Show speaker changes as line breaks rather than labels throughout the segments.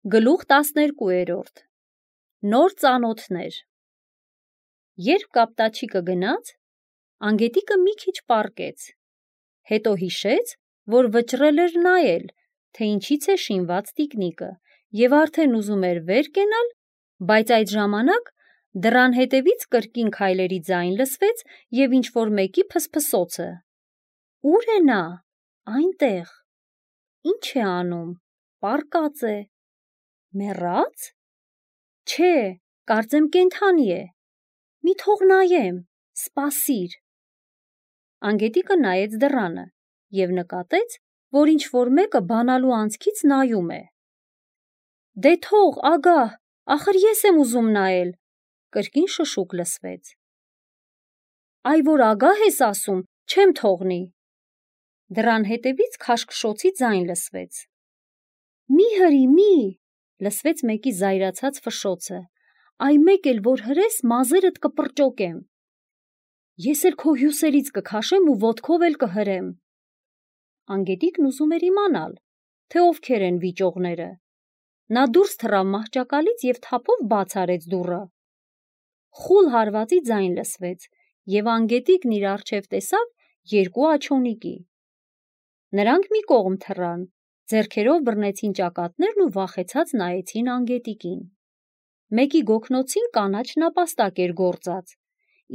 Գլուխ 12 Նոր ծանոթներ Երբ կապտաչիկը գնաց, Անգետիկը մի քիչ պառկեց, հետո հիշեց, որ վճռել էր նայել, թե ինչից է շինված տիկնիկը, և արդեն ուզում էր վեր կենալ, բայց այդ ժամանակ դռան հետևից կրկին քայլերի ձայն լսվեց և ինչ-որ մեկի փսփսոցը: Ո՞ւր է նա: Այնտեղ: Ի՞նչ է անում: Պառկած է: Մեռա՞ծ: Չէ, կարծեմ կենդանի է: Մի թող նայեմ: Սպասիր: Անգետիկը նայեց դռանը և նկատեց, որ ինչ-որ մեկը բանալու անցքից նայում է: Դե թող, ագահ, ախր ես եմ ուզում նայել: Կրկին շշուկ լսվեց: Այ որ ագահ ես ասում, չեմ թողնի: Դռան հետևից քաշքշոցի ձայն լսվեց: Մի հրի, մի, լսվեց մեկի զայրացած ֆշշոցը, այ մեկ էլ որ հրես, մազերդ կպրճոկեմ: Ես էլ քո հյուսերից կքաշեմ ու ոտքով էլ կհրեմ: Անգետիկն ուզում էր իմանալ, թե ովքեր են վիճողները: Նա դուրս թռավ մահճակալից և թափով բաց արեց դուռը: Խուլ հարվածի ձայն լսվեց և անգետիկն իր առջև տեսավ երկու աջոնիկի: Նրանք մի կողմ թռան, ձեռքերով բռնեցին ճակատներն ու վախեցած նայեցին անգետիկին: Մեկի գոգնոցին կանաչ նապաստակ էր գործած,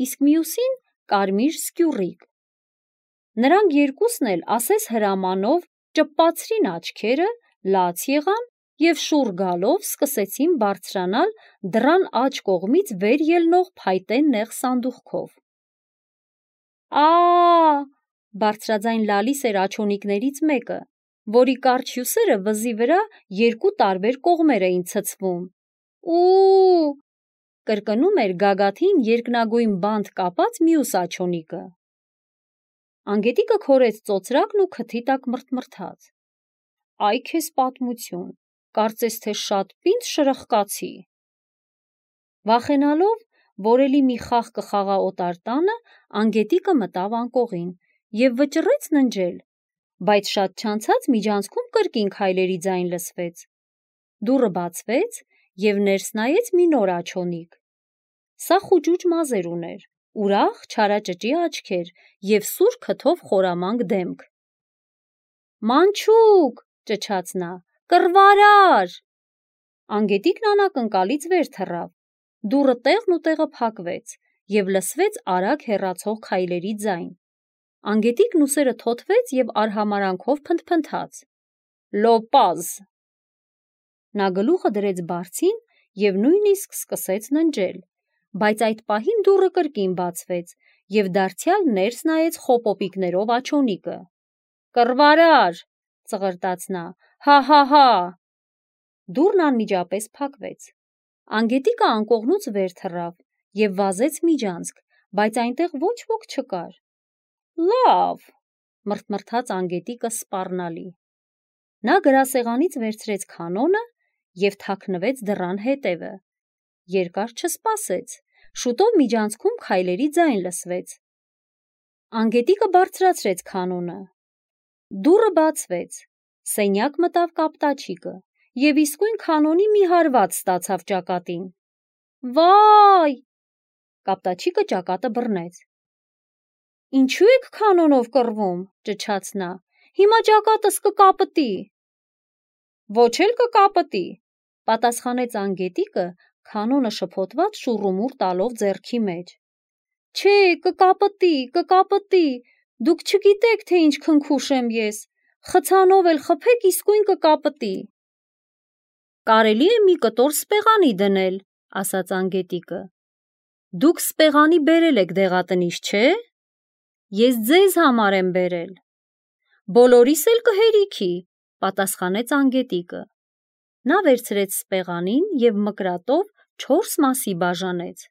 իսկ մյուսին կարմիր սկյուռիկ: Նրանք երկուսն էլ ասես հրամանով ճպպացրին աչքերը, լաց եղան և շուռ գալով սկսեցին բարձրանալ դռան աջ կողմից վեր ելնող փայտե նեղ սանդուղքով: Ա՜, բարձրաձայն լալիս էր աջոնիկներից մեկը, որի կարճ հյուսերը վզի վրա երկու տարբեր կողմեր էին ցցվում: Ու՜, կրկնում էր գագաթին երկնագույն բանտ կապած մյուս աջոնիկը: Անգետիկը քորեց ծոծրակն ու քթի տակ մռթմռթաց: Այ քեզ պատմություն, կարծես թե շատ պինդ շրխկացի: Վախենալով, որ էլի մի խաղ կխաղա օտար տանը, անգետիկը մտավ անկողին և վճռեց ննջել, բայց շատ չանցած միջանցքում կրկին քայլերի ձայն լսվեց: Դուռը բացվեց և ներս նայեց մի նոր աջոնիկ: Սա խուճուճ մազեր ուներ, ուրախ չարաճճի աչքեր և սուր քթով խորամանկ դեմք: Մանչուկ, ճչաց նա, կռվարար: Անգետիկն անակնկալից վեր թռավ, դուռը տեղն ու տեղը փակվեց և լսվեց արագ հեռացող քայլերի ձայն: Անգետիկն ուսերը թոթվեց և արհամարհանքով փնթփնթաց: Լոպազ: Նա գլուխը դրեց բարձին և նույնիսկ սկսեց ննջել, բայց այդ պահին դուռը կրկին բացվեց և դարձյալ ներս նայեց խոպոպիկներով աջոնիկը: Կռվարար, ծղրտաց նա, հա: Դուռն անմիջապես փակվեց: Անգետիկը անկողնուց վեր թռավ և վազեց միջանցք, բայց այնտեղ ոչ ոք չկար: Լավ, մռթմռթաց անգետիկը սպառնալի: Նա գրասեղանից վերցրեց քանոնը և թաքնվեց դռան հետևը: Երկար չսպասեց, շուտով միջանցքում քայլերի ձայն լսվեց: Անգետիկը բարձրացրեց քանոնը: Դուռը բացվեց, սենյակ մտավ կապտաչիկը և իսկույն քանոնի մի հարված ստացավ ճակատին: Վա՜յ, կապտաչիկը ճակատը բռնեց: Ինչո՞ւ եք քանոնով կռվում, ճչաց նա, հիմա ճակատս կկապտի: Ոչ էլ կկապտի, պատասխանեց անգետիկը քանոնը շփոթված շուռումուռ տալով ձեռքի մեջ: Չէ, կկապտի, դուք չգիտեք, թե ինչ քնքուշ եմ ես, խցանով էլ խփեք իսկույն կկապտի: Կարելի է մի կտոր սպեղանի դնել, ասաց անգետիկը: Դուք սպեղանի բերել եք դեղատնից, չէ՞: Ես ձեզ համար եմ բերել: Բոլորիս էլ կհերիքի, պատասխանեց անգետիկը: Նա վերցրեց սպեղանին և մկրատով 4 մասի բաժանեց: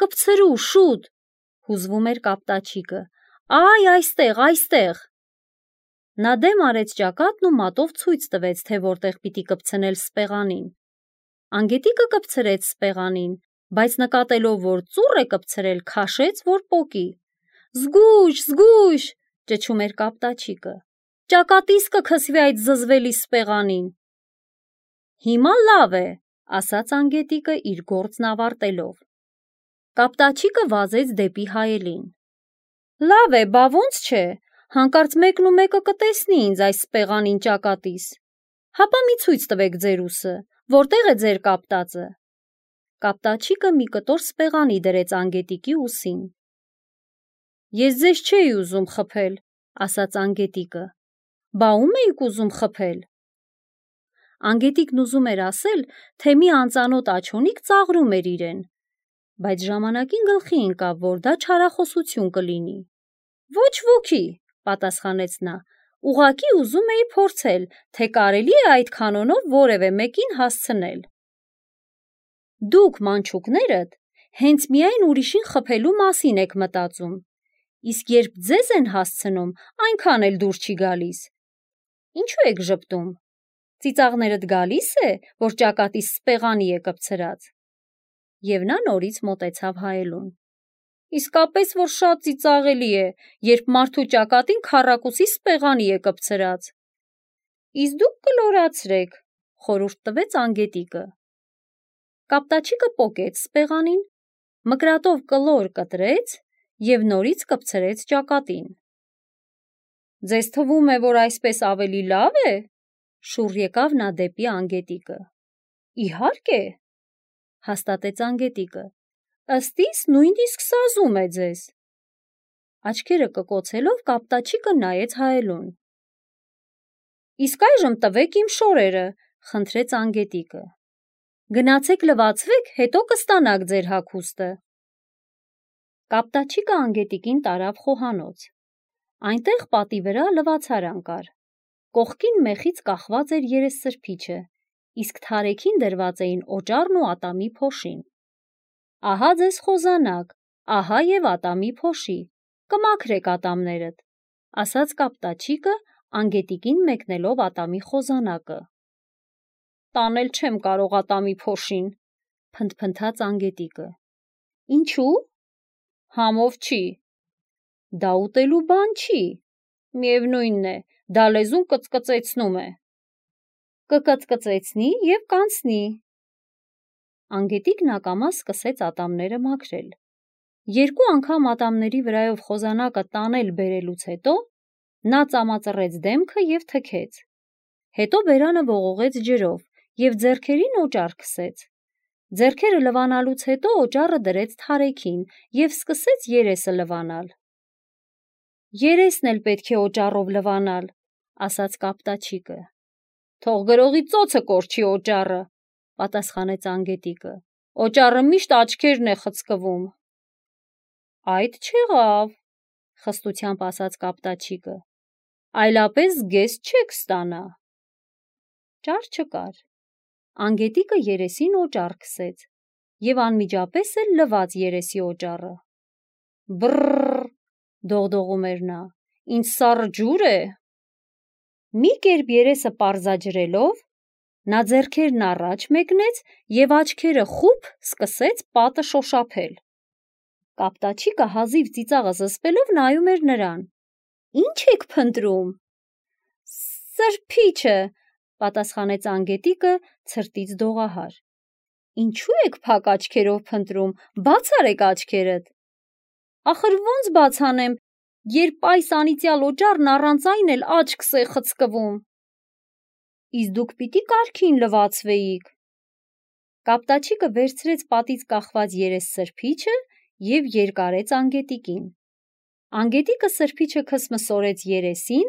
Կպցրու, շուտ, հուզվում էր կապտաչիկը, այ այստեղ: Նա դեմ արեց ճակատն ու մատով ցույց տվեց, թե որտեղ պիտի կպցնել սպեղանին: Անգետիկը կպցրեց սպեղանին, բայց նկատելով, որ ծուռ է կպցրել, քաշեց, որ պոկի: Զգույշ, ճչում էր կապտաչիկը, ճակատիս կքսվի այդ զզվելի սպեղանին: Հիմա լավ է, ասաց անգետիկը իր գործն ավարտելով։ Կապտաչիկը վազեց դեպի հայելին։ Լավ է, բա ոնց չէ, հանկարծ մեկն ու մեկը կտեսնի ինձ այս սպեղանին ճակատիս։ Հապա մի ցույց տվեք ձեր ուսը, որտեղ է ձեր կապտածը։ Կապտաչիկը մի կտոր սպեղանի դրեց անգետիկի ուսին։ Ես ձեզ չէի ուզում խփել, ասաց անգետիկը։ Բա ում էիք ուզում խփել։ Անգետիկն ուզում էր ասել, թե մի անծանոթ աչոնիկ ծաղրում էր իրեն, բայց ժամանակին գլխի ընկավ, որ դա չարախոսություն կլինի։ Ոչ ոքի, պատասխանեց նա, ուղղակի ուզում էի փորձել, թե կարելի է այդ կանոնով որևէ մեկին հասցնել։ Դուք, մանչուկներդ, հենց միայն ուրիշին խփելու մասին եք մտածում, իսկ երբ ձեզ են հասցնում, այնքան էլ դուր չի գալիս։ Ինչու եք ժպտում։ Ծիծաղներդ գալիս է, որ ճակատիս սպեղանի է կպցրած։ Եվ նա նորից մոտեցավ հայելուն։ Իսկապես որ շատ ծիծաղելի է, երբ մարդու ճակատին քառակուսի սպեղանի է կպցրած։ Իսկ դուք կլորացրեք, խորհուրդ տվեց անգետիկը։ Կապտաչիկը պոկեց սպեղանին, մկրատով կլոր կտրեց և նորից կպցրեց ճակատին։ Ձեզ թվում է, որ այսպես ավելի լավ է, շուռ եկավ նա դեպի անգետիկը։ Իհարկե, հաստատեց անգետիկը, ըստ իս նույնիսկ սազում է ձեզ։ Աչքերը կկոցելով կապտաչիկը նայեց հայելուն։ Իսկ այժմ տվեք իմ շորերը, խնդրեց անգետիկը։ Գնացեք լվացվեք, հետո կստանաք ձեր հագուստը։ Կապտաչիկը անգետիկին տարավ խոհանոց։ Այնտեղ պատի վրա լվացարան կար։ Կողքին մեխից կախված էր երեսսրբիչը, իսկ թարեքին դրված էին օճառն ու ատամի փոշին։ Ահա ձեզ խոզանակ, ահա և ատամի փոշի, կմաքրեք ատամներդ, ասաց կապտաչիկը, անգետիկին մեկնելով ատամի խոզանակը։ Տանել չեմ կարող ատամի փոշին, փնթփնթաց անգետիկը։ Ինչու։ Համով չի։ Դա ուտելու բան չի։ Միևնույնն է, դա լեզուն կծկծեցնում է։ Կկծկծեցնի և կանցնի։ Անգետիկն ակամա սկսեց ատամները մաքրել։ Երկու անգամ ատամների վրայով խոզանակը տանել բերելուց հետո նա ծամածռեց դեմքը և թքեց։ Հետո բերանը ողողեց ջրով և ձեռքերին օճառ քսեց։ Ձեռքերը լվանալուց հետո օճառը դրեց թարեքին և սկսեց երեսը լվանալ։ Երեսն էլ պետք է օճառով լվանալ, ասաց կապտաչիկը։ Թող գրողի ծոցը կորչի օճառը, պատասխանեց անգետիկը։ Օճառը միշտ աչքերն է խցկվում։ Այդ չեղավ, խստությամբ ասաց կապտաչիկը։ Այլապես զգեստ չեք ստանա։ Ճար չկար։ Անգետիկը երեսին օճառ քսեց և անմիջապես էլ լվաց երեսի օճառը։ Բռռռ, դողդողում էր նա, ինձ սառը ջուր է։ Մի կերպ երեսը պարզաջրելով, նա ձեռքերն առաջ մեկնեց և աչքերը խուփ սկսեց պատը շոշափել։ Կապտաչիկը հազիվ ծիծաղը զսպելով նայում էր նրան։ Ինչ եք փնտրում։ Սրբիչը, պատասխանեց անգետիկը ցրտից դողահար։ Ինչու եք փակ աչքերով փնտրում, բաց արեք աչքերդ։ Ախր ոնց բաց անեմ, երբ այս անիծյալ օճառն առանց այն էլ աչքս է խցկվում։ Իսկ դուք պիտի կարգին լվացվեիք։ Կապտաչիկը վերցրեց պատից կախված երեսսրբիչը և երկարեց անգետիկին։ Անգետիկը սրբիչը քսմսորեց երեսին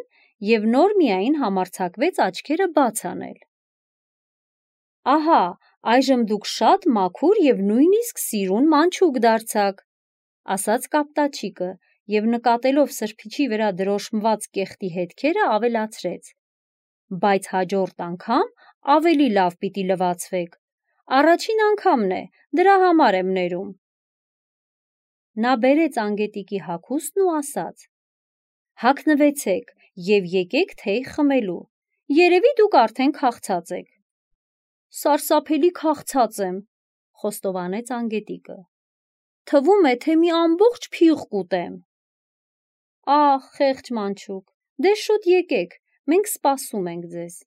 և նոր միայն համարձակվեց աչքերը բաց անել։ Ահա, այժմ դուք շատ մաքուր և նույնիսկ սիրուն մանչուկ դարձաք, ասաց կապտաչիկը և նկատելով սրբիչի վրա դրոշմված կեղտի հետքերը ավելացրեց. Բայց հաջորդ անգամ ավելի լավ պիտի լվացվեք։ Առաջին անգամն է, դրա համար եմ ներում։ Նա բերեց անգետիկի հագուստն ու ասաց. Հագնվեցեք և եկեք թեյ խմելու։ Երևի դուք արդեն քաղցած եք։ Սարսափելի քաղցած եմ, խոստովանեց անգետիկը։ Թվում է, թե մի ամբողջ փիղ կուտեմ։ Ահ, խեղճ մանչուկ, դե շուտ եկեք, մենք սպասում ենք ձեզ։